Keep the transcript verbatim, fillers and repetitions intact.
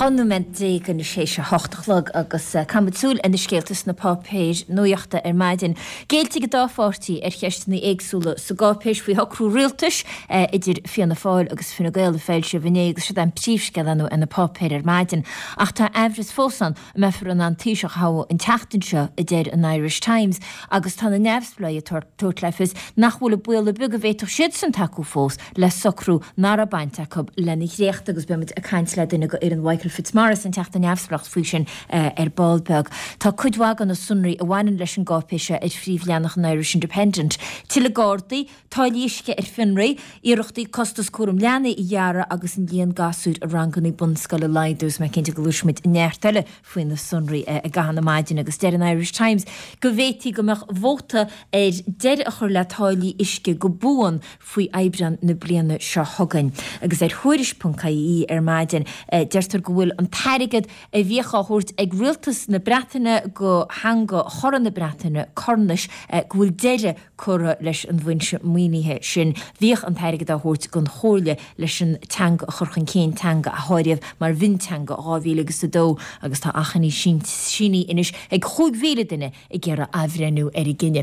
Dhá nóiméad déag anois théis a hocht a chlog agus caithfimid súil ar na scéalta sna páipéir nuachta ar maidin. Géillte ag an dá pháirtí ar cheisteanna éagsúla sa gcáipéis faoi shocrú rialtais idir Fianna Fáil agus Fine Gael a foilsíodh inné agus siod é an príomhscéal ar na páipéir ar maidin. Ach tá aimhreas fós ann an mbeifear in ann Taoiseach a thoghadh an tseachtain seo, a deir an Irish Times, agus tá na neamhspleáigh ag tabhairt le fios nach bhfuil baol ar bith go bhféadfadh siadsan tacú fós le socrú nach raibh baint acu lena dhréacht agus beimid ag caint le duine de fhoireann Mhichael Fitzmaurice, an Teachta Neamhspleách, faoi sin ar ball beag. Tá cuid mhaith de na sonraí a bhaineann leis an gcáipéis seo ar phríomhleathanach an Irish Independent. Tuilleadh Gardaí, táillí uisce ar fionraí, iarrachtaí costas cúram leanaí a ghearradh agus an líon gasúir i ranganna bunscoile a laghdú is mé cinnte go gcloisfimid neart eile faoi na sonraí i gcaitheamh na maidine agus deir an Irish Times go bhféadfaí go mbeadh vóta ar deireadh a chur le táillí uisce go buan faoi Aibreán na bliana seo chugainn. Agus ar Thuairisc ponc ie ar maidin, deirtear go bhfuil an t-airgead a bhíodh á thabhairt ag rialtas na Breataine go theanga chorra na Breataine, Cornais, go bhfuil deireadh curtha leis an bhfoinse maoinithe sin. Bhíodh an t-airgead á thabhairt don Chomhairle leis an teanga a chur chun cinn, teanga a háiríodh mar mhionteanga dhá mhíle agus a dó agus tá achainí sínithe anois ag chúig mhíle duine ag iarraidh athbhreithniú ar an gcinneadh.